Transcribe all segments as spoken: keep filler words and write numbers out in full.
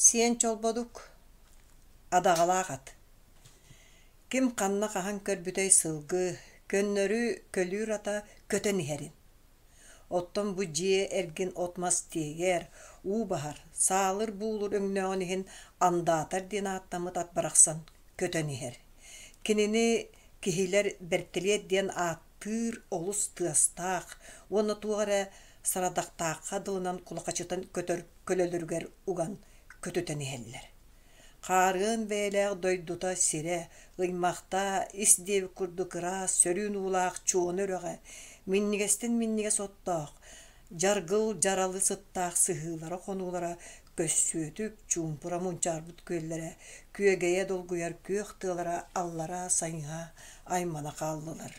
Сиэн Чолбодук, Адаҕалаах ат. Ким ханна хаһан көрбүтэй сылгы, көннөрү көлүүр ата көтөн иһэрин. Оттон бу дьиэ эргин от-мас тиэйэр, уу баһар, саалыр-буулур өҥнөөҕүн иһин андаатар диэн ааттаммыт ат барахсан көтөн иһэр. Кинини киһилэр бэртэлиэт диэн ааттыыр олус тыастаах уонна туох эрэ сарадахтаахха дылынан кулахачытан көтөр көлөлөрүгэр уган көтүтэн иһэллэр. Хаарыан бэйэлээх дойдута сирэ, ыймахтаа ис диэбит курдук ыраас, сөрүүн уулаах Чуона үрэҕэ, минньигэстэн минньигэс оттоох, дьаргыл дьаралы сыттаах сыһыылара-хонуулара көссүөтүк, чуумпура мунчаарбыт күөллэрэ, күөгэйэ долгуйар күөх тыалара аллараа сайыһа аймана хааллылар.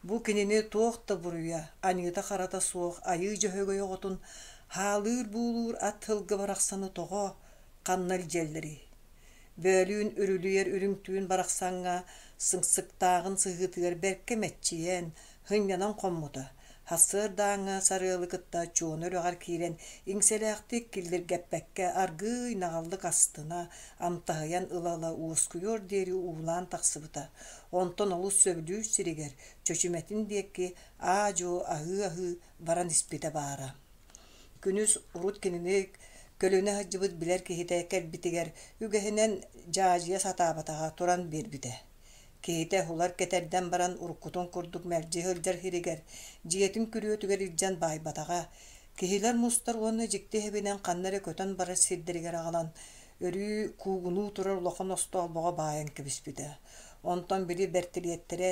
Бу кинини туох да буруйа, аньыыта-харата суох Айыы Дьөһөгөй оҕотун хаалыыр-буулуур ат сылгы барахсаны тоҕо, ханна илдьэллэрий? Бөөлүүн үрүлүйэр үрүҥ түүн барахсаҥҥа сыҥсыктааҕын сыһыытыгар бэркэ мэччийэн, сынньанан хоммута. Сарсыардааҥҥы сарыалы кытта Чуона үрэҕэр киирэн иҥсэлээхтик киллиргэппэккэ аргыый наҕыллык астына, амтаһыйан ыла-ыла уоскуйуор диэри уулаан тахсыбыта. Онтон олус сөбүлүүр сиригэр, Чөчүмэтин диэки аа-дьуо аһыы-аһыы баран испитэ баара. Күнүс урут кинини көлүнэ сылдьыбыт билэр киһитэ кэлбитигэр үгэһинэн дьаадьыйа сатаабатаҕа туран биэрбитэ. Киһитэ уһулар кэтэрдэн баран уруккутун курдук мэлдьи сылдьар сиригэр, дьиэтин күрүөтүгэр илдьэн баайбатаҕа. Киһилэр мустар уонна дьикти иһибинэн ханна эрэ көтөн барар сирдэригэр аҕалан, өрүү куугунуу турар улахан остоолбоҕо баайан кэбиспитэ. Онтон били бэртилиэттэрэ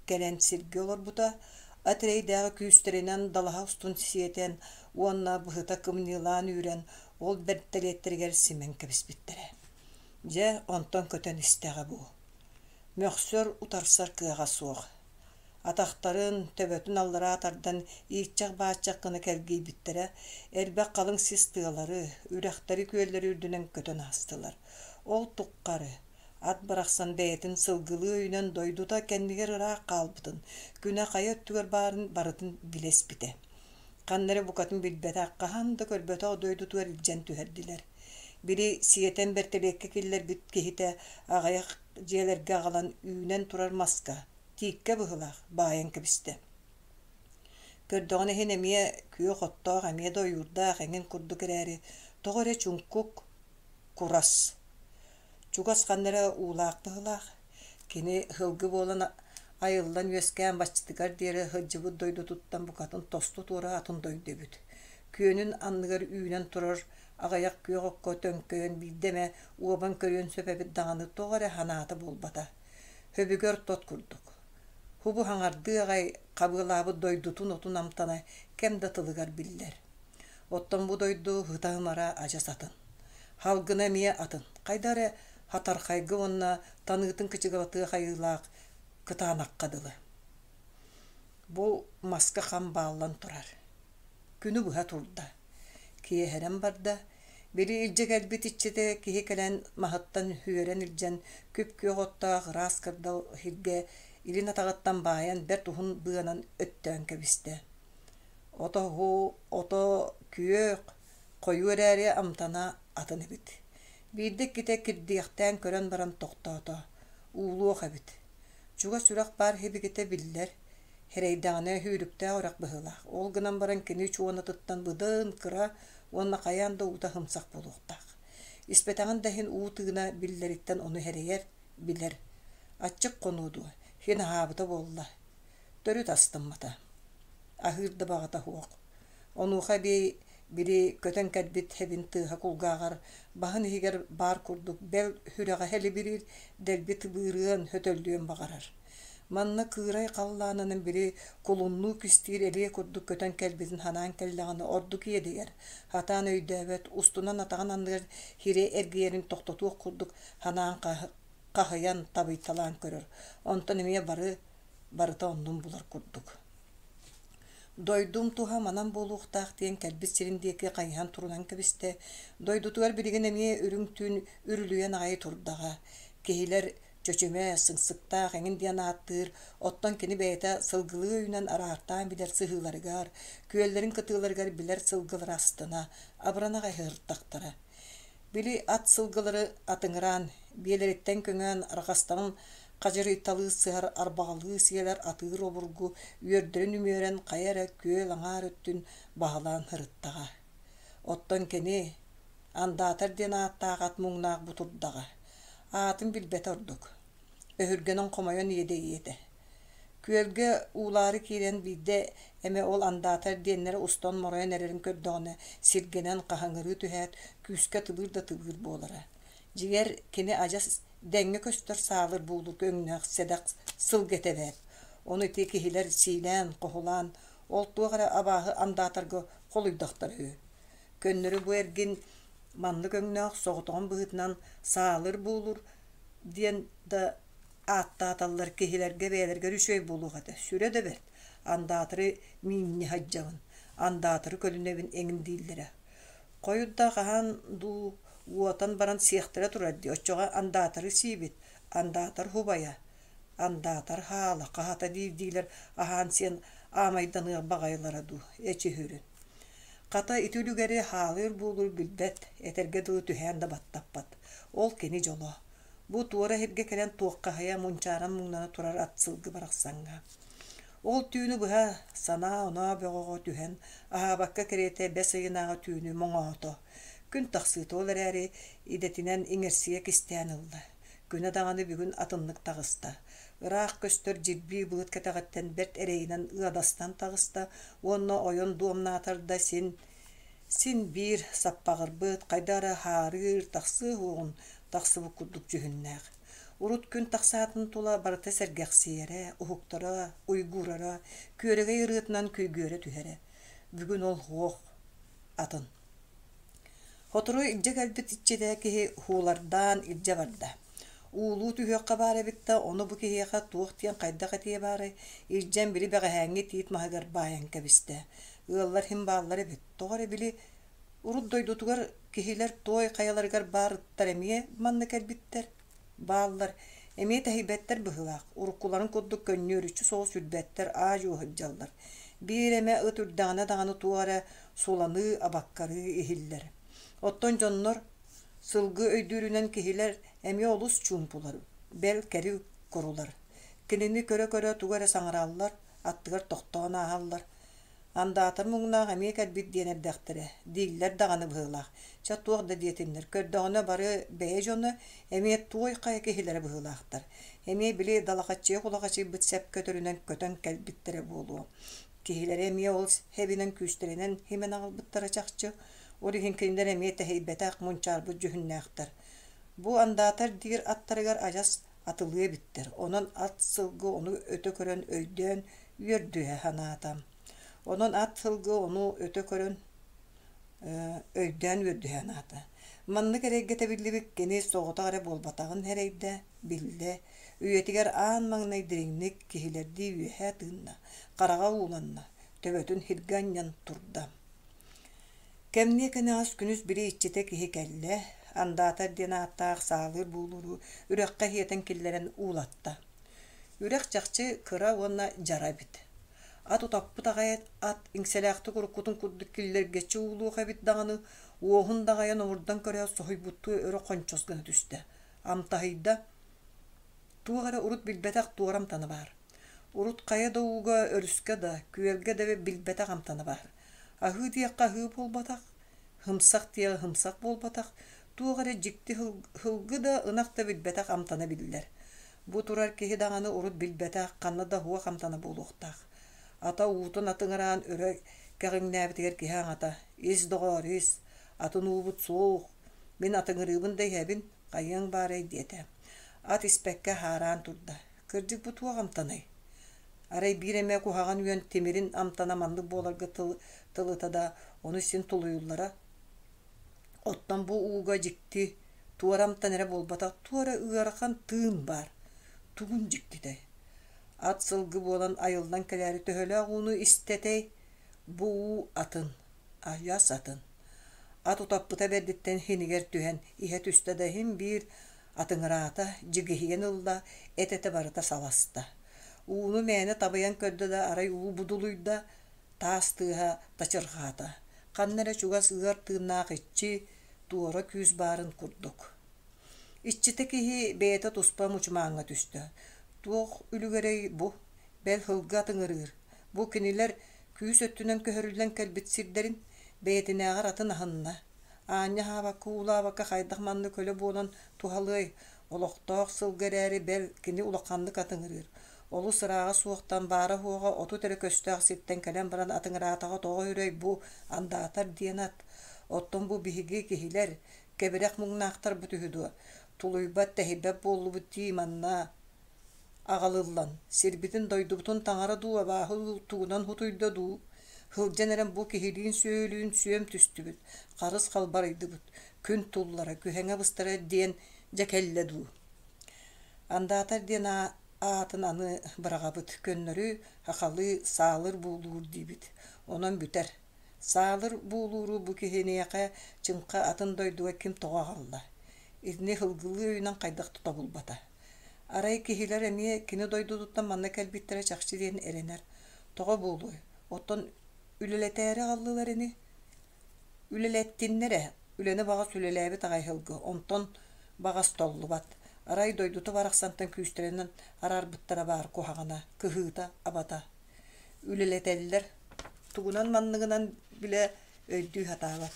кэлэн сиргэ олорбута, ат эрэйдээҕи күүстэринэн далаһа устун сиэтэн уонна быһыта кымньыылаан үүрэн, ол бэртэлиэттэригэр симэн кэбиспиттэрэ. Дьэ, онтон көтөн истэҕэ бу. Мөхсөр, утарсар кыаҕа суох. Атахтарын, төбөтүн аллараа тардан ииччэх-бааччах гына кэлгийбиттэрэ, элбэх халыҥ сис тыалары, үрэхтэри, күөллэри үрдүнэн көтөн аастылар. Ол туххары ат барахсан бэйэтин сылгылыы өйүнэн дойдута кэннигэр ыраах хаалбытын, күнэ хайа өттүгэр баарын барытын билэ испитэ. Ханна эрэ букатын билбэтэх, хаһан да көрбөтөх дойдутугар илдьэн түһэрдилэр. Били сиэтэн бэртэлиэккэ киллэрбит киһитэ аҕыйах дьиэлэргэ аҕалан үүнэн турар маска, тииккэ быһыылаах, баайан кэбистэ. Көрдөҕүнэ иһин эмиэ күөх оттоох, эмиэ да ойуурдаах эҥин курдук эрээри, тоҕо эрэ чуҥкук, курас. Чугас ханна эрэ уулаах быһыылаах. Кини сылгы буолан айыллан үөскээн баччатыгар диэри сылдьыбыт дойдутуттан букатын тосту туора атын дойду эбит. Күөнүн анныгар үүнэн турар аҕыйах күөх окко төҥкөйөн биирдэ эмэ уобан көрүөн сөп эбит даҕаны тоҕо эрэ санаата буолбата. Хөбүгэр тот курдук. Хубу хаҥардыы аҕай хабыалаабыт дойдутун отун амтана кэм да тылыгар биллэр. Оттон бу дойду ыта-ымара адьас атын. Халгына эмиэ атын, хайда эрэ хатархайга уонна таныытын кычыгалатыах айыылаах кытаанахха дылы. Бу маска хам бааллан турар. Күнү быһа турда. Киэһэрэн барда. Били илдьэ кэлбит иччитэ киһи кэлэн маһыттан үөрэн илдьэн күп-күөх оттоох ыраас кырдал иһиргэ илин атаҕыттан баайан бэрт уһун быанан өттөөн кэбистэ. Ото ото күөх, хойуу эрээри амтана атын эбит. Биирдэ иккитэ кирдиэхтээн көрөн баран тохтоото, уулуох эбит. Чугас үрэх баар сибикитэ биллэр, Эрэйдэҕинэ сүүрүктээх үрэх быһыылаах, ол гынан баран кини чуонатыттан быдан кыра уонна хайаан да уута сымсах буолуохтаах. Испэтэҕин да иһин уу тыына биллэриттэн ону эрэйэр, билэр. Аччык хонуо дуо, син аһаабыта буолла. Төрүт астыммата. Аһыыр да баҕата суох. Онуоха эбии били көтөн кэлбит хэбин тыаһа кулгааҕар баһын иһигэр баар курдук бэл сүрэҕэ хэлибириир, дэлби тыбыырыан, хөтөллүөн баҕарар. Манна кыырай халлаанынан били кулуннуу кистиир элиэ курдук көтөн кэлбитин санаан кэллэҕинэ ордук иэдэйэр, сатаан өйдөөбөт, устунан атаҕын анныгар сири эргийэрин тохтотуох курдук санаан хаһыйан табыйталаан көрөр, онтон эмиэ бары барыта оннун булар курдук. Дойдум туһа манан буолуохтаах диэн кэлбит сирин диэки хайыһан турунан кэбистэ. Дойдутугар билигин эмиэ үрүҥ түүн үрүлүйэн аҕай турдаҕа. Киһилэр чөчүмэ, сыҥсыктаах эҥин диэн ааттыыр, оттон кини бэйэтэ сылгылыы өйүнэн араартаан билэр сыһыыларыгар, күөллэрин кытыыларыгар билэр сылгылара астына, абырана аҕай сырыттахтара. Били ат сылгылары атыҥыраан, биэлэриттэн көҥөөн арҕастарын хадьырыйталыы сыһар арбаҕалыы сиэлэр атыыр обургу үөрдэрин үмүөрэн хайа эрэ күөл аҥаар өттүн баһылаан сырыттаҕа. Оттон кини андаатар диэн ааттаах ат муҥнаах бу турдаҕа. Аатын билбэтэ ордук. Өһүргэнэн хомойон иэдэйиэ этэ. Күөлгэ уулаары киирэн биирдэ эмэ ол андаатар диэннэрэ устан моройон эрэрин көрдөҕүнэ сиргэнэн хаһыҥырыы түһээт күүскэ тыбыыр да тыбыыр буолара. Дьиҥэр кини адьас дэҥҥэ көстөр саалыр буулур өҥнөөх сэдэх сылгы этэ эбээт. Ону ити киһилэр сиилээн, хоһулаан, ол туох эрэ абааһы андаатарга холуйдахтара үһү. Көннөрү бу эргин маннык өҥнөөх соҕотоҕун быһыытынан саалыр буулур диэн да ааттааталлар киһилэргэ бэйэлэригэр үчүгэй буолуох этэ. Сүрэ да бэрт. Андаатары миинньэ сылдьабын, андаатары көлүнэбин эҥин дииллэрэ. Хойут да хаһан дуу уотан баран сиэхтэрэ турар дии, оччоҕо андаатары сиибит, андаатар хубайа, андаатар хаала, хаһата диир-диилэр аһаан-сиэн аамайданыах баҕайылара дуу, эчи үһүрүн. Хата ити үлүгэри хаалыыр буолур билбэт, этэргэ дылы түһээн да баттаппат. Ол кини дьоло. Бу туора иһиргэ кэлэн туоххаһыйа мунчааран муҥнана турар ат сылгы барахсаҥҥа. Ол түүнү быһа санаа-оноо бөҕөҕө түһэн, аһаабакка кэриэтэ бэс ыйынааҕы түүнү моҥоото. Күн тахсыыта ол эрээри идэтинэн иҥэрсийэ кистээн ылла. Күнэ даҕаны бүгүн атыннык таҕыста. Ыраах көстөр дьирбии былыт кэтэҕиттэн бэрт эрэйинэн ыадастан таҕыста уонна ойон дуомнаатар да син син биир саппаҕырбыт, хайдах эрэ хаарыыр, тахсыа уоҕун тахсыбыт курдук дьүһүннээх. Урут күн тахсаатын тула барыта сэргэхсийэрэ, уһуктара, уйгуурара, күөрэгэй ырыатынан күйгүөрэ түһэрэ. Бүгүн ол уох атын. Сотору илдьэ кэлбит иччитэ киһи һуулардаан илдьэ барда. Уулуу түһүөххэ баар эбит да, ону бу киһиэхэ туох диэн хайдах этиэ баарай, илдьэн били бэҕэһээҥҥи тиит маһыгар баайан кэбистэ. Ыаллар иһин бааллар эбит, тоҕо эрэ били урут дойдутугар киһилэр туой хайаларыгар баар ыттар эмиэ манна кэлбиттэр, бааллар, эмиэ тэһийбэттэр быһыылаах, уруккуларын курдук көнньүөрүччү соҕус үрбэттэр, аа-дьуо сылдьаллар. Биир эмэ ыт үрдэҕинэ даҕаны туох эрэ суланыы, абаккарыы иһиллэр. Оттон дьоннор сылгы өйдүүрүнэн киһилэр эмиэ олус чуумпулар, бэл кэри курулар. Кинини көрө-көрө тугу эрэ саҥараллар, аттыгар тохтоон ааһаллар. Андаатар муҥнаах эмиэ кэлбит диэн эрдэхтэрэ, дииллэр даҕаны быһыылаах. Чэ туох да диэтиннэр, көрдөҕүнэ бары бэйэ дьоно, эмиэ туой хайа киһилэрэ быһыылаахтар. Эмиэ били далахаччыйа кулахачыйбыт сэп көтөрүнэн көтөн кэлбиттэрэ буолуо. Киһилэрэ эмиэ ол хэбинэн күүстэринэн химэн аҕалбыттара чахчы. Ол иһин кинилэр эмиэ тэһийбэтэх, мунчаарбыт дьүһүннээхтэр. Бу андаатар диир аттарыгар адьас атылыы эбиттэр. Онон ат сылгы ону өтө көрөн өйдөөн үөрдүһэ санаата. Онон ат сылгы ону өтө көрөн өйдөөн үөрдүһэ санаата. Маннык эрэйгэ тэбиллибит кини соҕотох эрэ буолбатаҕын эрэйдэ, биллэ. Үйэтигэр аан маҥнай дириҥник киһилэрдии үөһэ тыынна, хараҕа ууланна, төбөтүн сиргэ анньан турда. Кэмниэ кэнэҕэс күнүс били иччитэ киһи кэллэ, андаатар диэн ааттаах саалыыр буулууру үрэххэ иһиэтэн киллэрэн уулатта. Үрэх чахчы кыра уонна дьара эбит. Ат утаппыт аҕай ат иҥсэлээхтик уруккутун курдук киллэргэччи уулуох эбит даҕаны, уоһун даҕайан омурдан көрөөт соһуйбуттуу өрө хончос гына түстэ. Амтаһыйда. Туох эрэ урут билбэтэх туора амтана баар. Урут хайа да ууга, өрүскэ да, күөлгэ да билбэтэх амтана баар. Аһыы диэххэ аһыы буолбатах, һымсах диэххэ һымсах буолбатах, туох эрэ дьикти һылгы да, ынах да билбэтэх амтана биллэр. Бу турар киһи даҕаны урут билбэтэх, ханна да уох амтана буолуохтаах. Ата уутун атыҥыраан өрө кэҕиҥнээбитигэр киһи аҥата: «Ис доҕоор, ис, атын уубут суох, мин атыҥырыыбын да иһэбин, хайыаҥ баарай» диэтэ. Ат испэккэ хаараан турда. Кырдьык бу туох амтанай? Арай биир эмэ куһаҕан үөн тимирин амтана маннык буоларга тыл, тылыта да, ону син тулуйуллара. Оттон бу ууга дьикти, туора амтан эрэ буолбатах, туора ыарахан тыын баар. Тугун дьиктитэй? Ат сылгы буолан айыллан кэлээри төһөлөөх ууну истэтэй? Бу уу атын, айас атын. Ат утаппыта бэрдиттэн хинигэр түһэн, иһэ түстэ да иһин биир атыҥыраата, дьигиһийэн ылла, эт-этэ барыта саласта. Ууну мээнэ табыйан көрдө да арай уу будулуйда, таас тыаһа тачырҕаата. Ханна эрэ чугас ыар тыыннаах иччи туора күүс баарын курдук. Иччитэ киһи бэйэтэ туспа мучумааҥҥа түстэ. Туох үлүгэрэй бу? Бэл сылгы атыҥырыыр. Бу кинилэр күүс өттүнэн көһөрүллэн кэлбит сирдэрин бэйэтинээҕэр атын аһынна. Аанньа аһаабакка, уулаабакка хайдах маннык көлө буолан туһалыай? Олохтоох сылгы эрээри бэл кини улаханнык атыҥырыыр. Олус ырааҕа суохтан баара-суоҕа отут эрэ көстөөх сиртэн кэлэн баран атыҥыраатаҕа тоҕо үрэй бу андаатар диэн ат. Оттон бу биһиги киһилэр, кэбирэх муҥнаахтарбыт үһү дуо? Тулуйбат, тэһийбэт буоллубут дии манна аҕалыллан, сирбитин-дойдубутун таҥара дуу, абааһы дуу тугунан хутуйда дуу? Сылдьан эрэн бу киһилиин-сүөһүлүүн сүөм түстүбүт, харыс халбарыйдыбыт, күн туллара, күһэҥэ быстара диэн дьэ кэллэ дуу? Андаатар диэн аатын аны быраҕабыт, көннөрү хахалыы саалыр буулуур диибит. Онон бүтэр. Саалыр буулууру бу киһиниэхэ чыҥха атын дойдуга ким тоҕо аҕалла? Итини сылгылыы өйүнэн хайдах да тобулбата. Арай киһилэр эмиэ кини дойдутуттан манна кэлбиттэрэ чахчы диэн эрэнэр. Тоҕо буолуой? Оттон үлэлэтээри аҕаллылар ини? Үлэлэттиннэр ээ, үлэни баҕас үлэлээбит аҕай сылгы, онтон баҕас толлубат. Арай дойдута барахсантан күүстэринэн араарбыттара баар куһаҕана, кыһыыта, абата. Үлэлэтэллэр, тугунан манныгынан билэ өйдүү сатаабат.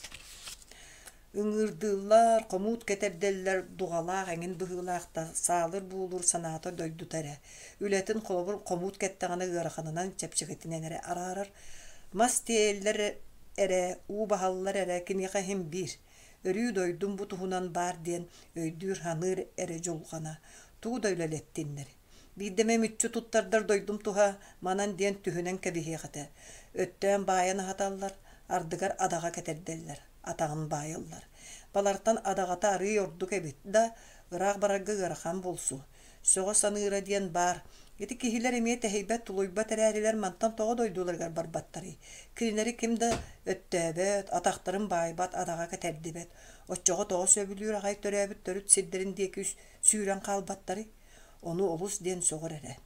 Ыҥыырдыыллар, хомуут кэтэрдэллэр, дуҕалаах эҥин быһыылаах да саалыр буулуур санаата дойдута эрэ. Үлэтин холобур хомуут кэттэҕинэ ыараханынан, чэпчэкитинэн эрэ араарар. Мас тиэйэллэр эрэ, уу баһаллар эрэ киниэхэ иһин биир. Өрүү дойдум бу туһунан баар диэн өйдүүр-саныыр эрэ дьулҕана. Тугу да үлэлэттиннэр. Биирдэ эмэ мүччү туттардар дойдум туһа манан диэн түһүнэн кэбиһиэх этэ. Өттөөн баайан аһаталлар, ардыгар адаҕа кэтэрдэллэр, атаҕын баайаллар. Балартан адаҕата арыый ордук эбит да, ыраах барарга ыарахан буолсу. Сөҕө саныыра диэн баар. Ити киһилэр эмиэ тэһийбэт-тулуйбат эрээрилэр мантан тоҕо дойдуларыгар барбаттарый? Кинилэри ким да өттөөбөт, атахтарын баайбат, адаҕа кэтэрдибэт. Оччоҕо тоҕо сөбүлүүр аҕай төрөөбүт төрүт сирдэрин диэки сүүрэн хаалбаттарый? Ону олус диэн сөҕөр эрэ.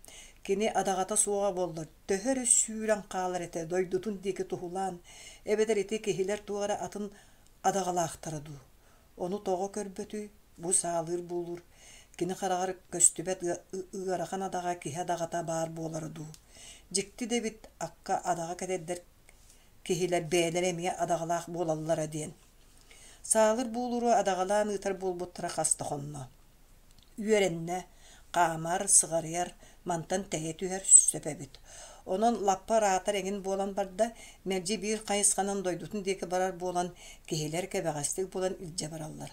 Кини адаҕата суоҕа буоллар, төһө эрэ сүүрэн хаалар этэ дойдутун диэки туһулаан, эбэтэр ити киһилэр туох эрэ атын адаҕалаахтара дуу? Ону тоҕо көрбөтүй, бу саалыыр буулуур, кини хараҕар көстүбэт ыарахан адаҕа киһи адаҕата баар буолара дуу? Дьикти да эбит, акка адаҕа кэтэрдэр киһилэр бэйэлэрэ эмиэ адаҕалаах буолаллара диэн. Саалыр буулууру адаҕалаан ыытар буолбуттара хас да хонно. Үөрэннэ, хаамар, сыҕарыйар, мантан тэйэ түһэр сөп эбит. Онон лаппа ыраатар эҥин буолан барда, мэлдьи биир хайысханан дойдутун диэки барар буолан, киһилэр кэбэҕэстик булан илдьэ бараллар.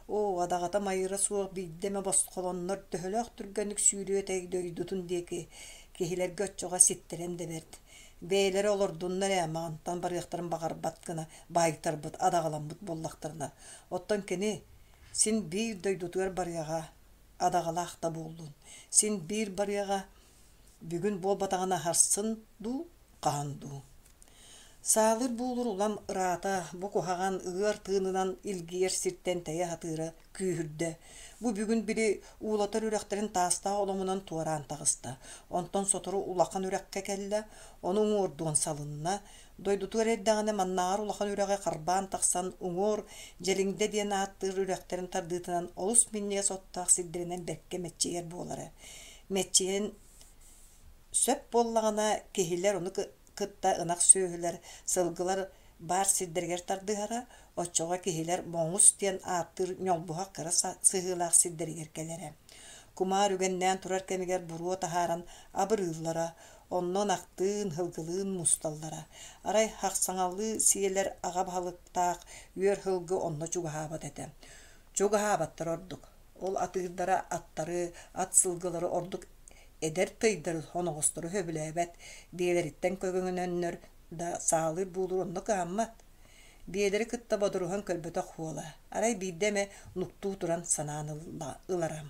Оо, адаҕата майыра суох биирдэ эмэ босхолоннор төһөлөөх түргэнник сүүрүө этэй дойдутун диэки, киһилэргэ оччоҕо ситтэрэн да бэрт. Бэйэлэрэ олордуннар ээ, мантан барыахтарын баҕарбат гына баайтарбыт, адаҕаламмыт буоллахтарына. Оттон кини син биир дойдутугар барыаҕа, адаҕалаах да буоллун. Син биир барыаҕа, бүгүн буолбатаҕына сарсын дуу, хаһан дуу. Саалыр буулур улам ыраата, бу куһаҕан ыар тыынынан илгийэр сиртэн тэйэ сатыыра күүһүрдэ. Бу бүгүн били уулатар үрэхтэрин таастаах оломунан туораан таҕыста. Онтон сотору улахан үрэххэ кэллэ, ону уҥуордуон салынна. Дойдутугар эрдэҕинэ маннааҕар улахан үрэҕи харбаан тахсан уҥуор Дьэлиҥдэ диэн ааттыыр үрэхтэрин тардыытынан олус минньигэс оттоох сирдэринэн бэркэ мэччийэр буолара. Мэччийэн сөп буоллаҕына киһилэр ону кытта ынах сүөһүлэр, сылгылар баар сирдэригэр тардыһара, оччоҕо киһилэр Моҥус диэн ааттыыр ньолбуһах кыра сыһыылаах сирдэригэр кэлэрэ. Кумаар үгэннээн турар кэмигэр буруо таһааран абырыыллара, онно ынахтыын, сылгылыын мусталлара. Арай хахсаҥалыы сиэлэр аҕа баһылыктаах үөр сылгы онно чугаһаабат этэ. Чугаһаабаттар ордук. Ол атыырдара аттары, ат сылгылары ордук эдэр тыйдары оноҕостору сөбүлээбэт, биэлэриттэн көҥөнөннөр да саалыыр буулуур онно кыһаммат. Биэлэри кытта бодоруһан көрбөтөх уола, арай биирдэ эмэ нуктуу туран санаан ылара.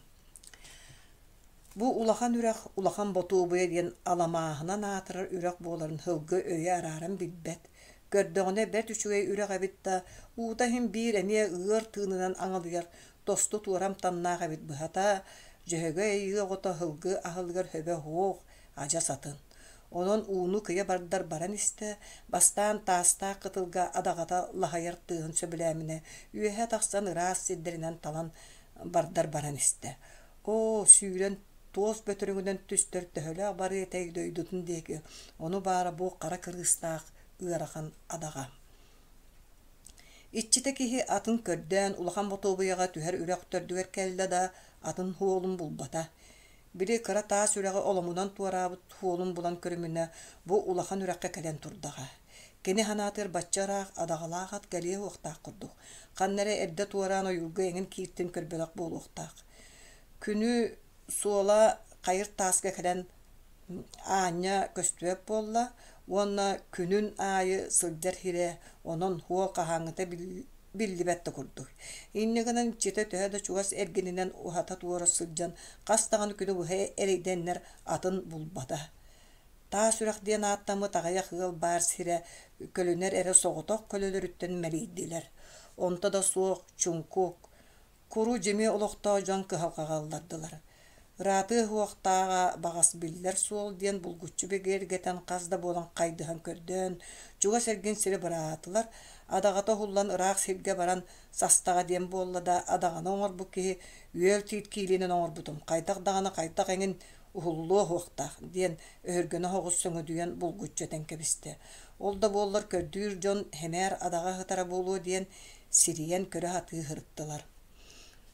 Бу улахан үрэх Улахан Ботуобуйа диэн аламааһынан аатырар үрэх буоларын сылгы өйө арааран билбэт. Көрдөҕүнэ бэрт үчүгэй үрэх эбит да, уута иһин биир эмиэ ыар тыынынан аҥалыйар тосту туора амтаннаах эбит быһата, Дьөһөгөй айыы оҕото сылгы аһылыгар сөбө суох, адьас атын. Онон ууну кыйа бардар баран истэ, бастаан таастаах кытылга адаҕата лаһайар тыаһын сөбүлээминэ, үөһэ тахсан ыраас сирдэринэн талан бардар баран истэ. Оо, сүүрэн туос бөтөрөҥүнэн түстэр төһөлөөх барыа этэй дойдутун диэки, ону баара бу хара кырыыстаах ыарахан адаҕа. Иччитэ киһи атын көрдөөн улахан Ботуобуйаҕа түһэр үрэх төрдүгэр кэллэ да атын суолун булбата. Били кыра таас үрэҕи оломунан туораабыт суолун булан көрүмүнэ бу улахан үрэххэ кэлэн турдаҕа. Кини санаатыгар бачча ыраах адаҕалаах ат кэлиэ уохтаах курдук. Ханна эрэ эрдэ туораан ойуурга эҥин кииртин көрбөтөх буолуохтаах. Күнү суола хайыр тааска кэлэн аанньа көстүбэт буолла уонна күнүн аайы сылдьар сирэ онон суол хаһааҥҥыта биллибэт да курдук. Инньэ гынан иччитэ төһө да чугас эргининэн уһата-туора сылдьан хас даҕаны күнү быһа эрэйдэннэр атын булбата. Таас үрэх диэн ааттаммыт аҕыйах ыал баар сирэ көлүнэр эрэ соҕотох көлөлөрүттэн мэлийдилэр. Онто да суох чуҥкук, куру дьими олохтоох дьон кыһалҕаҕа ыллардылар. Ыраатыа уохтааҕа баҕас биллэр суол диэн булгуччу бигэргэтэн хас да буолан хайдыһан көрдөөн, чугас эргин сири быраатылар, адаҕата уһуллан ыраах сиргэ баран састаҕа диэн буолла да адаҕаны оҥорбут киһи үөл тиит киилинэн оҥорбутум хайдах даҕаны хайдах эҥин уһуллуо уохтаах диэн өһүргэнэ соҕус сөҥөдүйэн булгуччу этэн кэбистэ. Ол да буоллар көрдүүр дьон хэмээр адаҕа сытара буолуо диэн сирийэн көрө сатыы сырыттылар.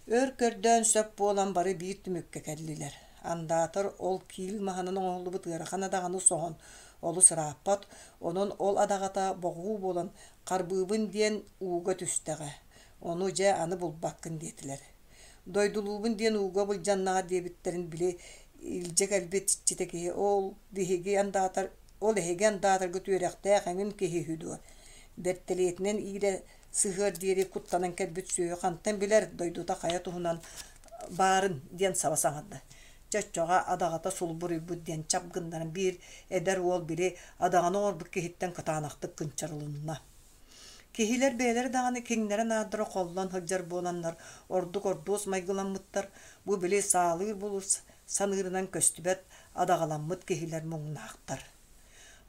Өр көрдөөн сөп буолан бары биир түмүккэ кэллилэр. Андаатар ол киил маһынан оҥоһуллубут ыарахан адаҕаны соһон олус ырааппат, онон ол адаҕата боҕуу буолан харбыыбын диэн ууга түстэҕэ. Ону дьэ аны булбаккын диэтилэр. Дойдулуубун диэн ууга былдьаннаҕа диэбиттэрин били илдьэ кэлбит иччитэ киһи ол биһиги андаатар ол эһиги андаатаргыт үөрэхтээх эҥин киһи үһү дуо? Бэртэлиэтинэн иирэ сыһыар диэри куттанан кэлбит сүөһү хантан билэр дойдута хайа туһунан баарын диэн саба саҥарда. Чоччоҕо адаҕата сулбуруйбут диэн чап гыннаран биир эдэр уол били адаҕаны оҥорбут киһиттэн кытаанахтык кынчарылынна. Киһилэр бэйэлэрэ даҕаны киҥнэрэ-наардара холлон сылдьар буоланнар ордук ордуос майгыламмыттар, бу били саалыыр булус саныырынан көстүбэт адаҕаламмыт киһилэр муҥнаахтар.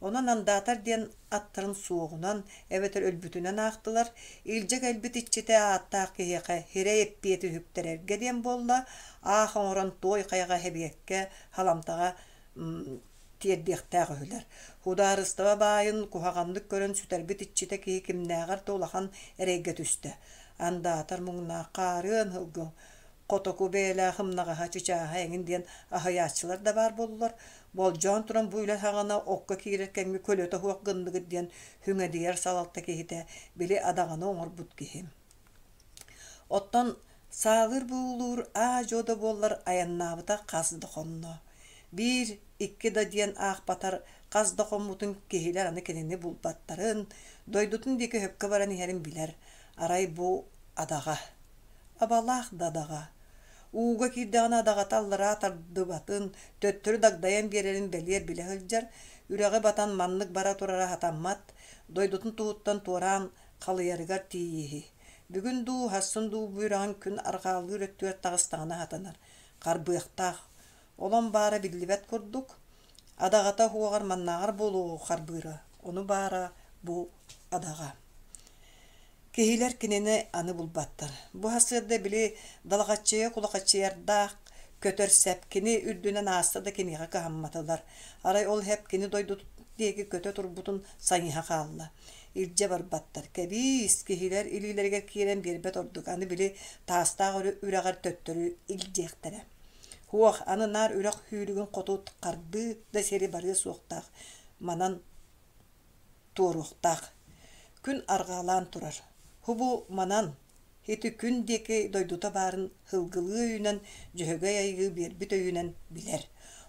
Онон андаатар диэн аттарын суоҕунан эбэтэр өлбүтүнэн аахтылар, илдьэ кэлбит иччитэ ааттаах киһиэхэ сирэй эппиэти үһүктэрэргэ диэн буолла, аах оҥорон туой хайаҕа эбиэккэ, халамтаҕа тиэрдиэхтээх үһүлэр. Судаарыстыба баайын куһаҕаннык көрөн сүтэрбит иччитэ киһи кимнээҕэр да улахан эрэйгэ түстэ. Андаатар муҥнаах хаарыан сылгы хотоку бэйэлээх ымнаҕаһа, чычааһа эҥин диэн аһыйааччылар да баар буоллулар. Болдьоон туран бу үлэ саҕана окко киирэр кэмҥэ көлөтө суох гынныгыт диэн хүҥэдийэр салалта киһитэ били адаҕаны оҥорбут киһи. Оттон саалыыр буулуур аа-дьуо да буоллар айаннаабыта хас да хонно. Биир, икки да диэн аахпатар хас да хоммутун киһилэр аны кинини булбаттарын, дойдутун диэки өһөккө баран иһэрин билэр. Арай бу адаҕа. Абалаах да адаҕа. Ууга киирдэҕинэ адаҕата аллараа тардыбатын, төттөрү дагдайан биэрэрин бэлиэр билэ сылдьар, үрэҕи батан маннык бара турара сатаммат, дойдутун туһуттан туораан халыйарыгар тиийииһи. Бүгүн дуу, сарсын дуу бу үрэҕин күн арҕаалыыр өттүгэр таҕыстаҕына сатанар, харбыахтаах. Олон баара биллибэт курдук, адаҕата уһуоҕар маннааҕар буолуоҕу харбыыра, ону баара бу адаҕа. Киһилэр кинини аны булбаттар. Бу сарсыарда били далаҕаччыйа кулахаччыйардаах көтөр сэп кини үрдүнэн ааста да киниэхэ кыһамматылар. Арай ол сэп кини дойдутун диэки көтө турбутун сайыһа хаалла. Илдьэ барбаттар. Кэбиис, киһилэр илиилэригэр киирэн биэрбэт ордук. Аны били таастаах үрэҕэр төттөрү илдьиэхтэрэ. Һуох, аны наар үрэх сүүрүгүн хоту хардыы да сири барыа суохтаах. Манан туоруохтаах. Күн арҕаалаан турар. Һубу манан ити күн диэки дойдута баарын сылгылыы өйүнэн Дьөһөгөй Айыы биэрбит өйүнэн билэр.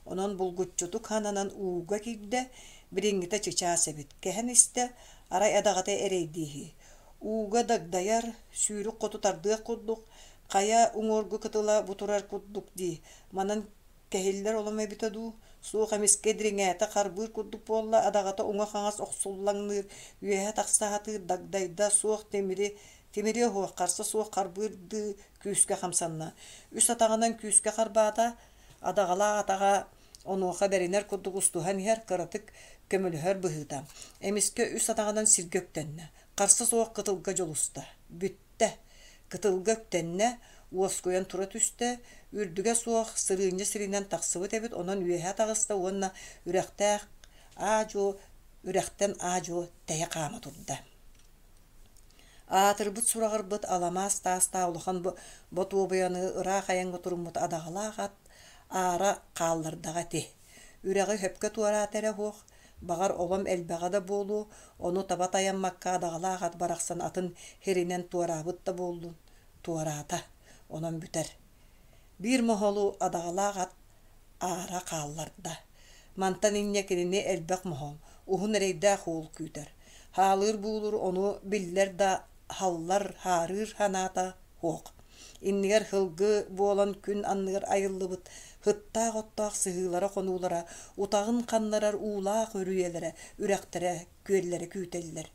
Онон булгуччутук хананан ууга киирдэ, билиҥҥитэ чычаас эбит, кэһэн истэ, арай адаҕата эрэйдииһи. Ууга дагдайар, сүүрүк хоту тардыах курдук, хайа уҥуоргу кытыла бу турар курдук дии, манан кэһиллэр олом эбитэ дуу, суох эмискэ дириҥээтэ харбыыр курдук буолла, адаҕата уҥа-хаҥас охсуллаҥныыр, үөһэ тахса сатыыр дагдайда, суох тимири тимири оһуох, харса суох харбыырдыы күүскэ хамсанна. Үс атаҕынан күүскэ харбаата, адаҕалаах атаҕа Онуоха бэринэр курдук устуһан иһэр, кыратык көмөлөһөр быһыыта. Эмискэ үс атаҕынан сиргэ үктэннэ. Харса суох кытылга дьулуста. Бүттэ. Кытылга үктэннэ, уоскуйан тура түстэ, үрдүгэ суох сырыынньа сиринэн тахсыбыт эбит, онон үөһэ таҕыста уонна үрэхтээх аа-дьуо үрэхтэн аа-дьуо тэйэ хаама турда. Аатырбыт сураҕырбыт аламаас таастаах улахан ботуобуйаны ыраах айаҥҥа туруммут адаҕалаах ат аара хааллардаҕа ити. Үрэҕи сөпкө туораата эрэ суох, баҕар олом элбэҕэ да буолуо, ону таба тайаммакка адаҕалаах ат барахсан атын сиринэн туораабыт да буоллун, туораата, онон бүтэр. Биир моһолу адаҕалаах ат аара хаалларда. Мантан инньэ кинини элбэх моһол, уһун эрэйдээх уол күүтэр. Хаалыыр буулур ону биллэр да халлар, хаарыыр санаата суох. Иннигэр һылгы буолан күн анныгар айыллыбыт һыттаах оттоох сыһыылара-хонуулара, утаҕын ханнарар уулаах үрүйэлэрэ, үрэхтэрэ, күөллэрэ күүтэллэр.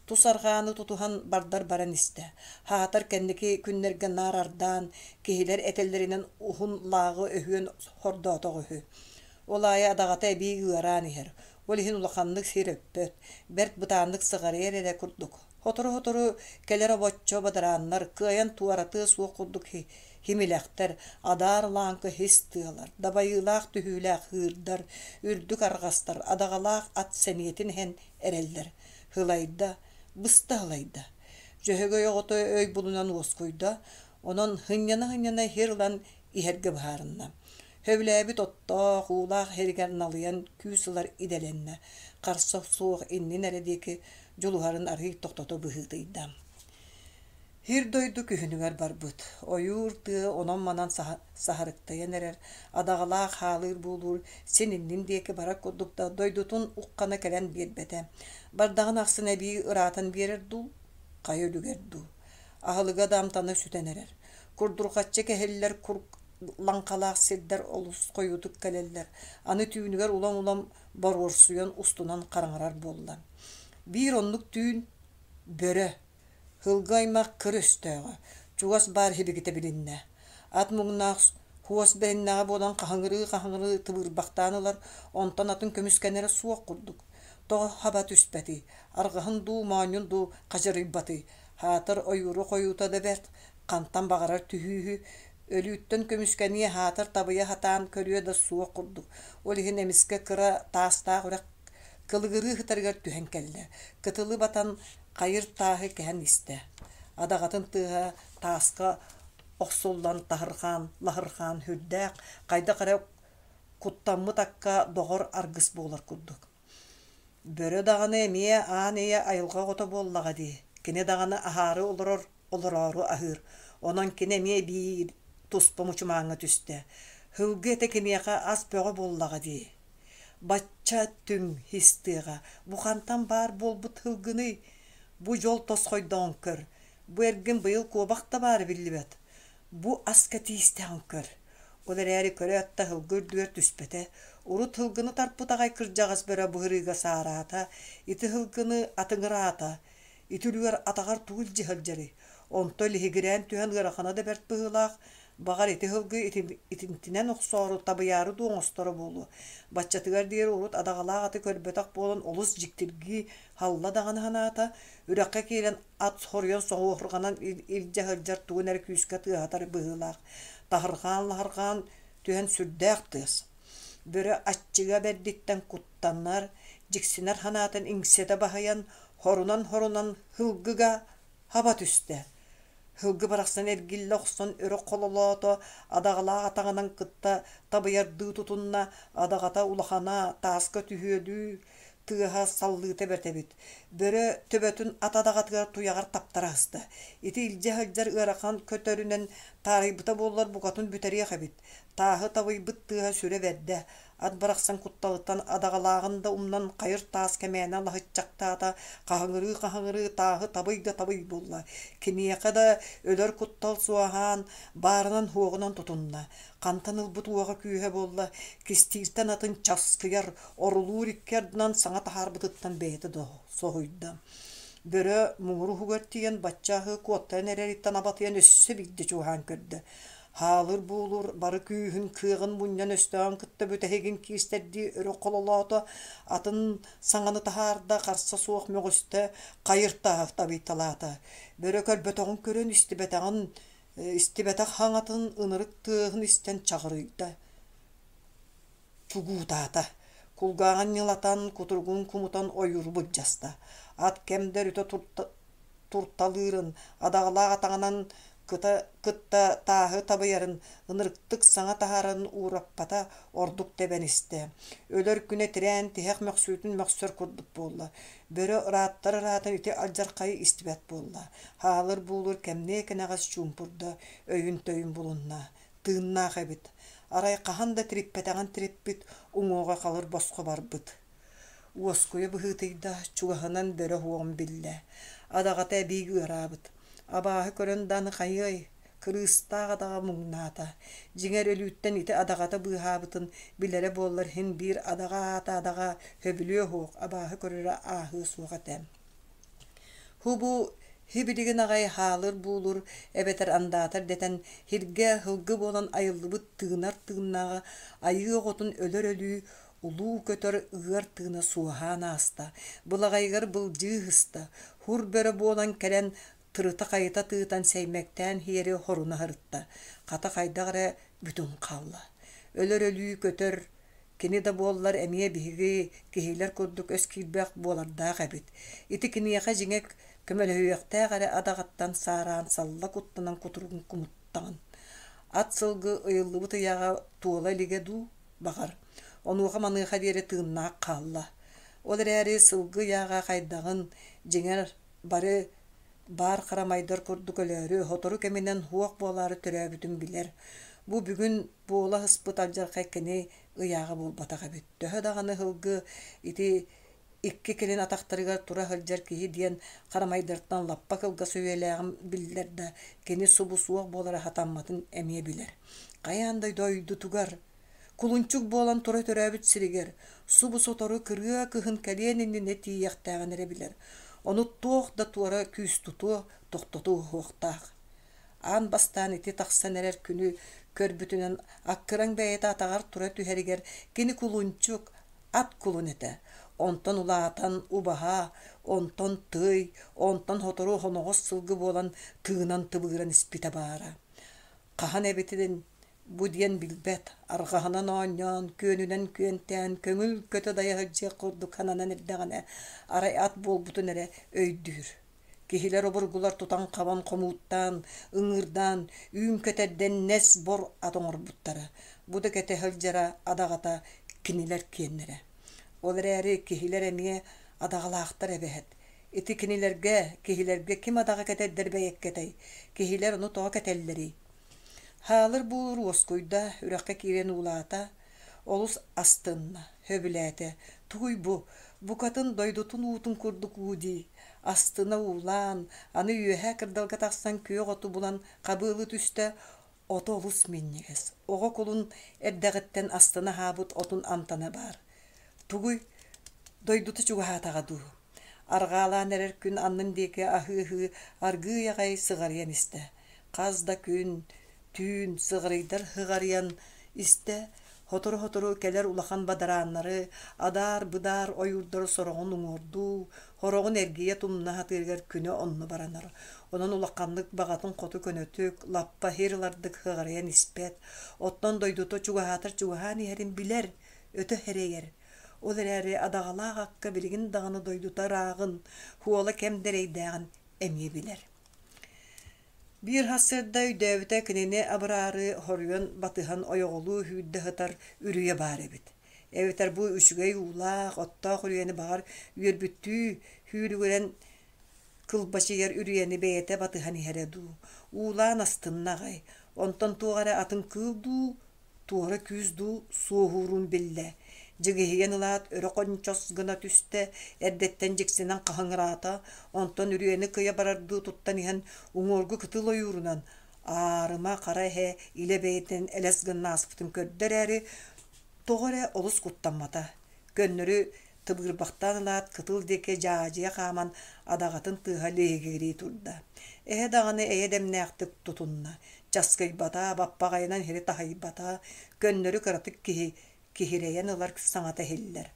Тус арҕааны тутуһан бардар баран истэ. Хаатар кэнники күннэргэ наар ардаан, киһилэр этэллэринэн уһун лааҕы өһүөн хордоотох үһү. Ол аайы адаҕата эбии ыараан иһэр. Ол иһин улаханнык сир өппөт, бэрт бытааннык сыҕарыйар эрэ курдук. Сотору-сотору кэлэр обоччо бадарааннар, кыайан туоратыа суох курдук химилэхтэр, адаар лааҥкы һис тыалар, дабайыылаах түһүүлээх ыырдар, үрдүк арҕастар, адаҕалаах ат сэниэтин иһэн эрэллэр. Һылайда, быста һылайда. Дьөһөгөй оҕото өй булунан уоскуйда, онон һынньана-һынньана сир ылан иһэргэ быһаарынна. Сөбүлээбит оттоох, уулаах сиригэр налыйан күүс ылар идэлэннэ, харса суох иннин эрэ диэки дьулуһарын арыый тохтото быһыытыйда. Сир-дойду күһүнүгэр барбыт, ойуур тыа онон-манан саһарыктайан эрэр, адаҕалаах хаалыыр буолуур син иннин диэки барар курдук да дойдутун уххана кэлэн биэрбэтэ. Бардаҕын ахсын эбии ыраатан биэрэр дуу, хайа үлүгэр дуу. Аһылыга да амтана сүтэн эрэр. Курдурҕаччы кэһиллэр кур лаҥхалаах сирдэр олус хойуутук кэлэллэр, аны түүнүгэр улам-улам боруорсуйан устунан хараҥарар буолла. Биир оннук түүн бөрө, һылгы аймах кыр өстөөҕө, чугас баар сибикитэ билиннэ. Ат муҥнаах хуос бэриннэҕэ буолан хаһыҥырыы-хаһыҥырыы тыбыырбахтаан ылар, онтон атын көмүскэнэрэ суох курдук. Тоҕо хаба түспэтий, арҕаһын дуу, моонньун дуу хадьырыйбатый, хаатар ойууру хойуута да бэрт, хантан баҕарар түһүүһү, өлүүттэн көмүскэниэ хаатар табыйа сатаан көрүө да суох курдук. Ол иһин эмискэ кыра таастаах үрэх кылыгырыы сытарыгар түһэн кэллэ. Кытылы батан хайыр тааһы кэһэн истэ. Адаҕатын тыаһа тааска охсуллан таһырҕаан, лаһырҕаан сүрдээх, хайдах эрэ куттаммыт акка доҕор аргыс буолар курдук. Бөрө даҕаны эмиэ аан ийэ айылҕа оҕото буоллаҕа дии. Кини даҕаны аһаары олорор, олороору аһыыр. Онон кини эмиэ биир туспа мучумааҥҥа түстэ. Һылгы этэ киниэхэ ас бөҕө буоллаҕа дии. Бачча түҥ һис тыаҕа бу хантан баар буолбут һылгыный? Бу дьол тосхойдоҕун көр. Бу эргин быйыл куобах да баара биллибэт. Бу аска тиистэҕин көр. Ол эрээри көрөөт да һылгы үрдүгэр түспэтэ. Урут һылгыны тарпыт аҕай кырдьаҕас бөрө быһырыыга саараата, ити һылгыны атыҥыраата. Ити үлүгэр атаҕар тугу илдьи сылдьарый? Онто лиһигирээн түһэн ыарахана да бэрт быһыылаах, баҕар ити һылгы итинтинэн охсоору, табыйаары дуу оҥосторо буолуо. Баччатыгар диэри урут адаҕалаах аты көрбөтөх буолан олус дьиктиргии халла даҕаны санаата, үрэххэ киирэн ат хоруйан соҕуохурҕанан илдьэ сылдьар тугун эрэ күүскэ тыаһатар быһыылаах. Таһырҕаан-лаһырҕаан түһэн сүрдээх тыас. Бөрө аччыга бэрдиттэн куттанар, дьиксинэр санаатын иҥсэтэ баһыйан, хорунан-хорунан һылгыга хаба түстэ. Һылгы барахсан эргиллэ охсон өрө хололоото, адаҕалаах атаҕынан кытта табыйардыы тутунна, адаҕата улахана, тааска түһүөлүү тыаһа саллыыта бэрт эбит. Бөрө төбөтүн ат адаҕатыгар туйаҕар таптара аһыста. Ити илдьэ сылдьар ыарахан көтөрүнэн таарыйбыта буоллар букатын бүтэриэх эбит. Тааһы табыйбыт тыаһа сүрэ бэрдэ. Ат барахсан кутталыттан адаҕалааҕын да умнан хайыр таас кэмээнэ лаһыччахтаата, хаһыҥырыы-хаһыҥырыы тааһы табый да табый буолла. Киниэхэ да өлөр куттал суоһаан, баарынан-суоҕунан тутунна. Хантан ылбыт уоҕа күүһэ буолла, кистииртэн атын часкыйар, орулуур икки ардынан саҥа таһаарбытыттан бэйэтэ да соһуйда. Бөрө муҥур уһугар тиийэн бачча аһыы куоттаран эрэриттэн абатыйан өссө биирдэ чугаһаан көрдө. Хаалыр буолур бары күүһүн кыаҕын мунньан өстөөҕүн кытта бүтэһигин киирсэрдии өрө хололоото, атын саҥаны таһаарда, харса суох мөҕүстэ, хайыр тааһы табыйталаата. Бөрө көрбөтөҕүн көрөн истибэтэҕин истибэтэх хаҥатын ынырык тыаһын истэн чаҕырыйда, чугуутаата. Кулгааҕын ньылатан, кутуругун кумутан ойууру былдьаста. Ат кэм да өрүтэ турталыырын, адаҕалаах атаҕынан кыта, кытта тааһы табыйарын, ынырыктык саҥа таһаарарын уураппата, ордук тэбэн истэ. Өлөр күнэ тирээн тиһэх мөхсүүтүн мөхсөр курдук буолла. Бөрө ырааттар ыраатан ити алдьархайы истибэт буолла. Хаалыр буулур кэмниэ кэнэҕэс чуумпурда, өйүн-төйүн булунна. Тыыннаах эбит. Арай хаһан да тириппэтэҕин тириппит, уҥуоҕа халыр босхо барбыт. Уоскуйа быһыытыйда, чугаһынан бөрө уоҕун биллэ. Адаҕата эбии ыараабыт. Абааһы көрөн да аны хайыай, кырыыстаах адаҕа муҥнаата. Дьиҥэр өлүүттэн ити адаҕата быыһаабытын билэрэ буоллар иһин биир адаҕа аата адаҕа сөбүлүө суох, абааһы көрөрө ааһыа суох этэ. Һубу һибилигин аҕай хаалыр-буулур эбэтэр андаатар дэтэн һиргэ һылгы буолан айыллыбыт тыынар тыыннааҕа айыы оҕотун өлөр өлүү улуу көтөр ыар тыына суоһаан ааста, былаҕайыгар былдьыы ыһыста, һур бөрө буолан кэлэн тырыта-хайыта тыытан сэймэктээн иһиэри хоруна сырытта, хата хайдах эрэ бүтүн хаалла. Өлөр өлүү көтөр кини да буоллар эмиэ биһиги киһилэр курдук өс киирбэх буолардаах эбит. Ити киниэхэ дьиҥэ көмөлөһүөхтээх эрэ адаҕаттан саараан салла куттанан кутуругун кумуттаҕын. Ат сылгы ыйыллыбыт ыйааҕа туола илигэ дуу, баҕар. Онуоха-маныаха диэри тыыннаах хаалла. Ол эрээри сылгы ыйааҕа хайдаҕын, дьиҥэр, бары баар харамайдар курдук өлөөрү, сотору кэминэн суох буолаары төрөөбүтүн билэр. Бу бүгүн буола сыспыт алдьархай кини ыйааҕа буолбатах эбит. Төһө даҕаны сылгы ити икки кэлин атахтарыгар тура сылдьар киһи диэн харамайдартан лаппа кылгас үйэлээҕин биллэр да, кини субу суох буолара сатамматын эмиэ билэр. Хайаан да дойдутугар, кулунчук буолан тура төрөөбүт сиригэр, субу сотору кырыа кыһын кэлиэн иннинэ тиийиэхтээҕин эрэ билэр. Ону туох да туора күүс тутуо, тохтотуо суохтаах. Аан бастаан ити тахсан эрэр күнү көрбүтүнэн аккыраҥ бэйэтэ атаҕар тура түһэригэр кини кулунчук, ат кулун этэ. Онтон улаатан убаһа, онтон тый, онтон сотору хоноҕос сылгы буолан тыынан тыбыыран испитэ баара. Хаһан эбитин бу диэн билбэт, арҕаһынан оонньоон, күөнүнэн күөнтээн, көҥүл көтө дайа сылдьыах курдук сананан эрдэҕинэ, арай ат буолбутун эрэ өйдүүр. Киһилэр обургулар тутан-хабан хомууттаан, ыҥыырдаан, үүн кэтэрдэн нэс бор ат оҥорбуттара. Бу да кэтэ сылдьара адаҕата кинилэр киэннэрэ. Ол эрээри киһилэр эмиэ адаҕалаахтар эбэһэт. Ити кинилэргэ, киһилэргэ ким адаҕа кэтэрдэр бэйэккэтэй? Киһилэр ону тоҕо кэтэллэрий? Хаалыр буулур уоскуйда, үрэххэ киирэн уулаата, олус астынна, сөбүлээтэ. Тугуй бу, букатын дойдутун уутун курдук уу дии. Астына уулаан, аны үөһээ кырдалга тахсан күөх оту булан хабыалыы түстэ, ото олус минньигэс. Оҕо кулун эрдэҕиттэн астына аһаабыт отун амтана баар. Тугуй, дойдута чугаһаатаҕа дуу? Арҕаалаан эрэр күн аннын диэки аһыы-аһыы аргыый аҕай сыҕарыйан истэ. Хас да күн, түүн сыҕарыйдар сыҕарыйан истэ, сотору-сотору кэлэр улахан бадарааннары, адаар-быдаар ойуурдары сороҕун уҥуордуу, сороҕун эргийэ тумна сатыырыгар күнэ онно баранар. Онон улаханнык баҕатын хоту көнөтүк, лаппа сир ылардык сыҕарыйан испэт. Оттон дойдута чугаһаатар чугаһаан иһэрин билэр, өтө сэрэйэр. Ол эрээри адаҕалаах акка билигин даҕаны дойдута ырааҕын, хуола кэм дэрэйдээҕин эмиэ билэр. Биир сарсыарда өйдөөбүтэ кинини абыраары хоруйан батыһан ойоҕолуу сүүрдэ сытар үрүйэ баар эбит. Эбэтэр бу үчүгэй уулаах, оттоох үрүйэни баҕар үөрбүттүү сүүрүгүрэн кылбачыйар үрүйэни бэйэтэ батыһан иһэрэ дуу, уулаан астынна аҕай, онтон туох эрэ атын кыыл дуу, туора күүс дуу суоһуурун биллэ. Дьигиһийэн ылаат өрө хончос гына түстэ, эрдэттэн дьиксинэн хаһыҥыраата, онтон үрүйэни кыйа барардыы туттан иһэн уҥуоргу кытыл ойуурунан аарыма хара эһэ илэ бэйэтинэн элэс гына ааспытын көрдө эрээри, тоҕо эрэ олус куттаммата. Көннөрү тыбыырбахтаан ылаат кытыл диэки дьаадьыйа хааман адаҕатын тыаһа лиһигирии турда. Эһэ даҕаны эйэ дэмнээхтик тутунна, часкыйбата, баппаҕайынан иһири таһыйбата, көннөрү кыратык киһи киһирэйэн ылар саҥата иһиллэр.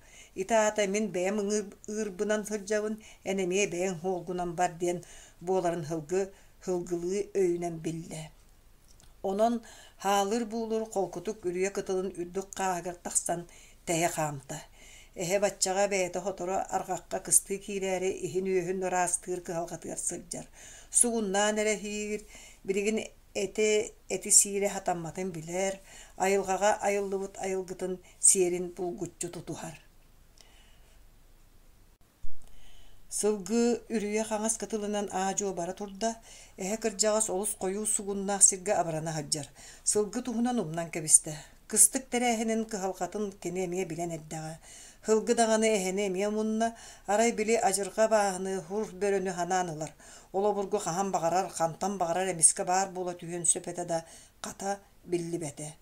Ити аата мин бэйэм ыырбынан сылдьабын, эн эмиэ бэйэҥ суолгунан бар диэн буоларын һылгы һылгылыы өйүнэн биллэ. Онон хаалыр-буулур холкутук үрүйэ кытылын үрдүк хааһыгар тахсан тэйэ хаамта. Эһэ баччаҕа бэйэтэ сотору арҕахха кыстыы киирээри иһин-үөһүн ыраастыыр кыһалҕатыгар сылдьар. Сугуннаан эрэ иһиир, билигин эти эти сиирэ сатамматын билэр, айылҕаҕа айыллыбыт айылгытын сиэрин булгуччу тутуһар. Сылгы үрүйэ хаҥас кытылынан аа-дьуо бара турда, эһэ кырдьаҕас олус хойуу сугуннаах сиргэ абырана сылдьар. Сылгы туһунан умнан кэбистэ. Кыстык тэрээһинин кыһалҕатын кини эмиэ билэн эрдэҕэ. Һылгы даҕаны эһэни эмиэ умунна, арай били адьырҕа абааһыны, хур бөрөнү санаан ылар. Ол обургу хаһан баҕарар, хантан баҕарар эмискэ баар буола түһүөн сөп этэ да, хата биллибэтэ.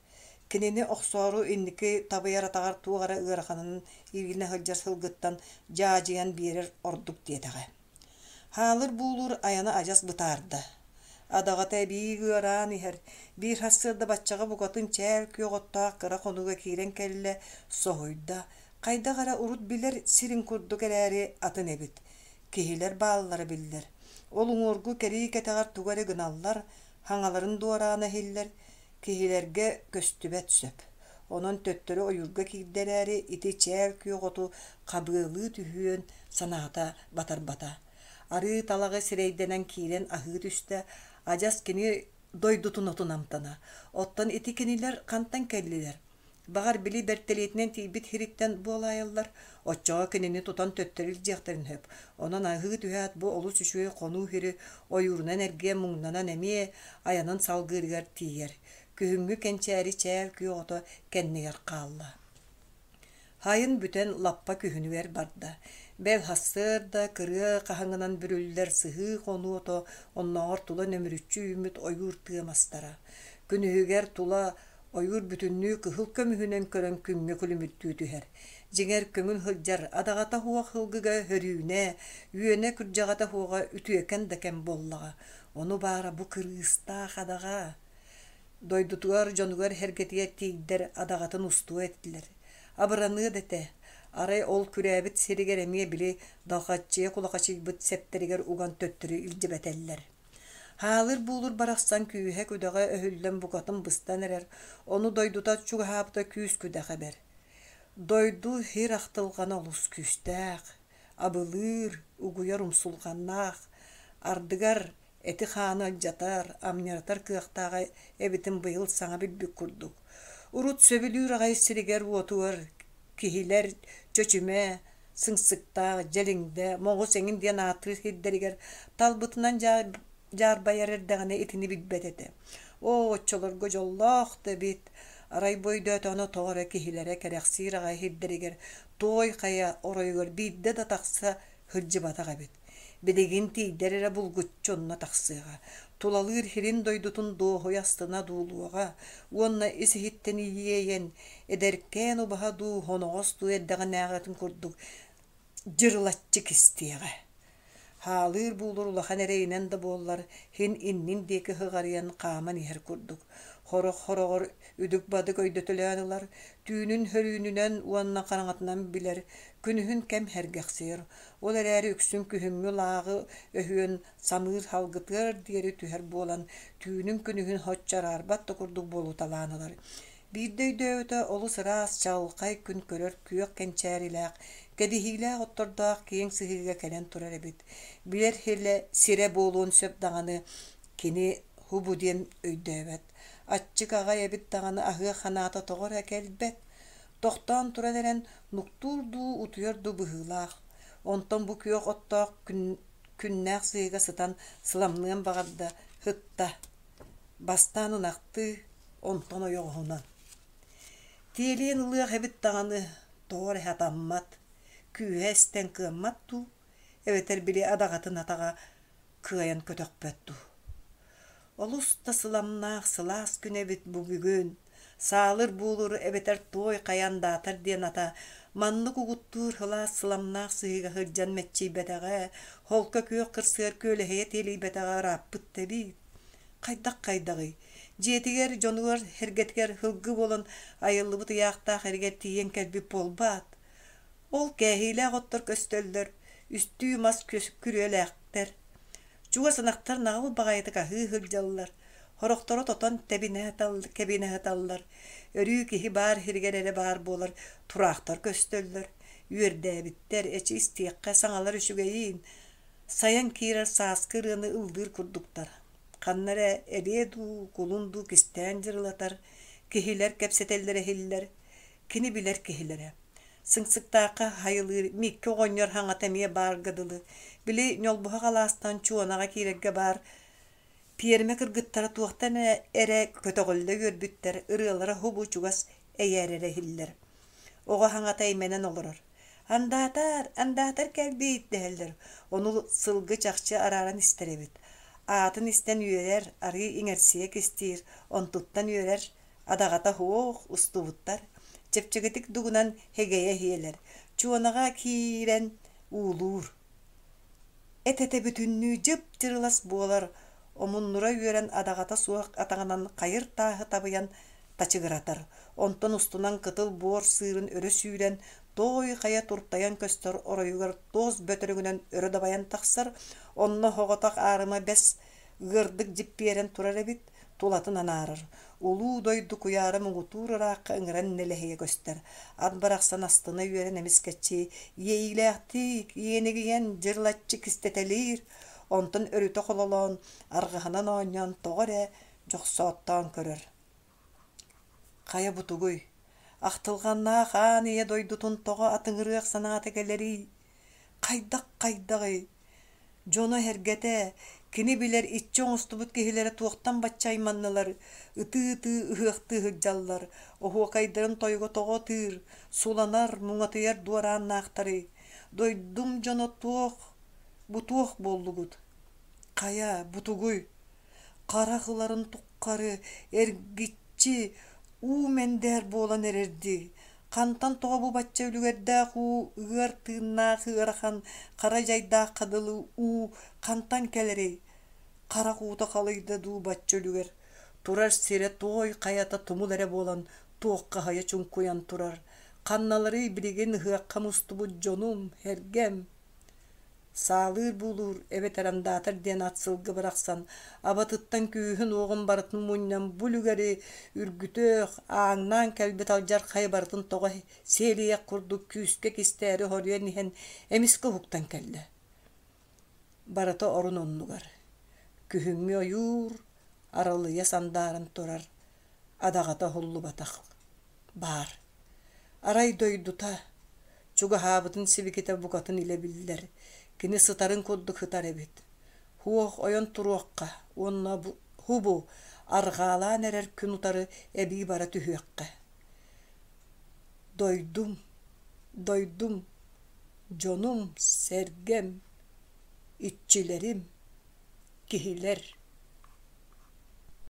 Кинини охсоору инники табыйар атаҕар туох эрэ ыараханын иилинэ сылдьар сылгыттан дьаадьыйан биэрэр ордук диэтэҕэ. Хаалыр-буулуур айана адьас бытаарда. Адаҕата эбии ыараан иһэр, биир сарсыарда баччаҕа букатын чээл күөх оттоох кыра хонууга киирэн кэллэ, соһуйда, хайдах эрэ урут билэр сирин курдук эрээри атын эбит. Киһилэр бааллара биллэр. Ол уҥуоргу кэрии кэтэҕэр тугу эрэ гыналлар, хаҥаларын дуораана иһиллэр, киһилэргэ көстүбэт сөп. Онон төттөрү ойуурга киирдэ эрээри, ити чээл күөх оту хабыалыы түһүөн санаата батарбата. Арыы талаҕы сирэйдэнэн киирэн аһыы түстэ, адьас кини дойдутун отун амтана. Оттон ити кинилэр хантан кэллилэр? Баҕар, били бэртэлиэтинэн тиийбит сириттэн буолаайаллар, оччоҕо кинини тутан төттөрү илдьиэхтэрин сөп. Онон аһыы түһээт бу олус үчүгэй хонуу сири ойуурунан эргийэн муҥнанан эмиэ айанын салгыырыгар тиийэр. Күһүҥҥү кэнчээри чээл күөх ото кэннигэр хаалла. Сайын бүтэн лаппа күһүнүгэр барда. Бэл сарсыарда кырыа хаһыҥынан бүрүллэр сыһыы хонуу ото оннооҕор тула нөмүрүччү үүммүт ойуур тыа мастара. Күнүһүгэр тула ойуур бүтүннүү кыһыл көмүһүнэн көрөн күҥҥэ күлүмүрдүү түһэр. Дьиҥэр көҥүл сылдьар, адаҕата суох сылгыга хөрүүнэ, үөнэ-күрдьэҕэтэ суоҕа үтүөкэн да кэм буоллаҕа. Ону баара бу кырыыстаах адаҕа. Дойдутугар, дьонугар сэргэтигэр тиийдэр адаҕатын устуо этилэр. Абыраныа да этэ. Арай ол күрээбит сиригэр эмиэ били далхаччыйа кулахачыйбыт сэптэригэр уган төттөрү илдьибэтэллэр. Хаалыр-буулур барахсан күүһэ-күдэҕэ өһүллэн букатын быстан эрэр, ону дойдута чугаһаабыта күүс-күдэх эбэр. Дойду сир ахтылҕана олус күүстээх, абылыыр, угуйар умсулҕаннаах, ардыгар эти-хааны алдьатар, амньыратар кыахтааҕа эбитин быйыл саҥа билбит курдук. Урут сөбүлүүр аҕай сиригэр-уотугар киһилэр Чөчүмэ, Сыҥсыктаах, Дьэлиҥдэ, Моҕус эҥин диэн ааттыыр сирдэригэр талбытынан дьаарбайар эрдэҕинэ итини билбэт этэ. Оо, оччолорго дьоллоох да эбит, арай бу өйдөөтөҕүнэ тоҕо эрэ киһилэрэ кэрэхсиир аҕай сирдэригэр Туой Хайа оройугар биирдэ да тахса сылдьыбатах эбит. Билигин тиийдэр эрэ булгуччу онно тахсыаҕа, тулалыыр сирин-дойдутун дуоһуйа астына дуулуоҕа уонна ис-иһиттэн иэйэн, эдэркээн убаһа дуу, хоноҕос дуу эрдэҕинээҕитин курдук дьырылаччы кистиэҕэ. Хаалыыр-буулур улахан эрэйинэн да буоллар, син иннин диэки сыҕарыйан хааман иһэр курдук. Сорох-сороҕор үдүк-бадык өйдөтөлөөн ылар, түүнүн хөрүүнүнэн уонна хараҥатынан билэр, күнүһүн кэм сэргэхсийэр. Ол эрээри үксүн күһүҥҥү лааҕы өһүөн самыыр салгытыар диэри түһэр буолан, түүнүн-күнүһүн соччо араарбат да курдук буолуталаан ылар. Биирдэ өйдөөбүтэ олус ыраас, чаҕылхай күн көрөр күөх кэнчээрилээх, кэдиһиилээх оттордоох киэҥ сыһыыга кэлэн турар эбит. Билэр сирэ, сирэ буолуон сөп даҕаны, кини һубу диэн өйдөөбөт. Аччык аҕай эбит даҕаны аһыах санаата тоҕо эрэ кэлбэт. Тохтоон туран эрэн нуктуур дуу, утуйар дуу быһыылаах. Онтон бу күөх оттоох күн, күннээх сыһыыга сытан сыламныан баҕарда, сытта. Бастаан ынахтыы, онтон ойоҕоһунан. Тиэлиэн ылыах эбит даҕаны, тоҕо эрэ сатаммат, күүһэ эстэн кыаммат дуу, эбэтэр били адаҕатын атаҕа кыайан көтөхпөт дуу. Олус да сыламнаах сылаас күн эбит бу бүгүн, саалыр-буулур эбэтэр туой хайа андаатар диэн ата маннык угуттуур сылаас сыламнаах сыһыыга сылдьан мэччийбэтэҕэ, холко күөх кырсыгар күөлэһийэ тиэлийбэтэҕэ ырааппыт да эбит. Хайдах хайдаҕый? Дьиэтигэр, дьонугар, сэргэтигэр сылгы буолан айыллыбыт ыйаахтаах эригэр тиийэн кэлбит буолбаат? Ол кээһиилээх оттор көстөллөр, үстүү мас күрүөлээхтэр. Чугас ынахтар наҕыл баҕайытык аһыы сылдьаллар, сорохторо тотон тэбинэ кэбинэ сыталлар. Өрүү киһи баар сиригэр эрэ баар буолар тураахтар көстөллөр. Үөрдээбиттэр, эчи истиэххэ саҥалар үчүгэйин, сайан киирэр сааскы ырыаны ыллыыр курдуктар. Ханна эрэ элиэ дуу, кулун дуу кистээн дьырылатар, киһилэр кэпсэтэллэрэ иһиллэр, кини билэр киһилэрэ. Сыҥсыктаахха хайылыыр Микки оҕонньор хаҥата эмиэ баарга дылы. Били ньолбуһах алаастан Чуонаҕа киирэргэ баар пиэрмэ кыргыттара туохтан эрэ көтөҕүллэ үөрбүттэр, ырыалара һубу чугас эйээрэрэ иһиллэр. Оҕо хаҥата эймэнэн олорор. «Андаатар, андаатар кэлбит» дэһэллэр. Ону сылгы чахчы арааран истэр эбит. Аатын истэн үөрэр, арыы иҥэрсийэ кистиир, онтуттан үөрэр, адаҕата суох устубуттар. Чэпчэкитик дугунан хэгэйэ иһиэлэр. Чуонаҕа киирэн уулуур. Эт-этэ бүтүннүү дьып-дьырылас буолар, омуннура үөрэн адаҕата суох атаҕынан хайыр тааһы табыйан тачыгыратар. Онтон устунан кытыл буор сыырын өрө сүүрэн, туой хайа туртайан көстөр оройугар туос бөтөрөҥүнэн өрө дабайан тахсар, онно соҕотох аарыма бэс ыардык дьиппиэрэн турар эбит, тулатын анаарар. Улуу дойду куйаара муҥутуур ыраахха ыҥыран нэлэһийэ көстөр. Ат барахсан астына үөрэн эмискэччи иэйиилээхтик иэнигийэн дьырылаччы кистэтэлиир, онтон өрүтэ хололоон, арҕаһынан оонньоон тоҕо эрэ дьохсооттоон көрөр. Хайа бутугуй, ахтылҕаннаах аан ийэ дойдутун тоҕо атыҥырыах санаата кэлэрий? Хайдах хайдаҕый? Дьоно-сэргэтэ, кини билэр иччи оҥостубут киһилэрэ туохтан бачча айманнылар, ытыы-ытыы ыһыахтыы сылдьаллар, оһуокайдарын тойуга тоҕо ытыыр, суланар, муҥатыйар дуорааннаахтарый? Дойдум дьоно туох, бу туох буоллугут? Хайа, бутугуй? Харах ыларын тухары эргиччи уу мэндээр буолан эрэрдии. Хантан тоҕо бу бачча үлүгэрдээх уу ыар тыыннаах ыарахан хара дьайдаахха дылы уу хантан кэлэрий? Харах уута халыйда дуу бачча үлүгэр. Турар сирэ туой хайата тумул эрэ буолан туоххаһыйа чуҥкуйан турар. Ханналарый билигин ыһыахха мустубут дьонум, сэргэм? Саалыыр буулуур эбэтэр андаатар диэн ат сылгы барахсан абатыттан күүһүн-уоҕун барытын мунньан бу үлүгэри үргүтүөх, ааҥнаан кэлбит алдьархайы барытын тоҕо сиэлийэх курдук күүскэ кистээри хоруйан иһэн эмискэ уһуктан кэллэ. Барыта орун оннугар. Күһүҥҥү ойуур аралыйа сандааран турар, адаҕата уһуллубатах баар. Арай дойдута, чугаһаабытын сибикитэ букатын илэ биллэр, кини сытарын курдук сытар эбит. Һуох ойон туруохха уонна һубу арҕаалаан эрэр күн утары эбии бара түһүөххэ. Дойдум, дойдум, дьонум, сэргэм, иччилэрим, киһилэр.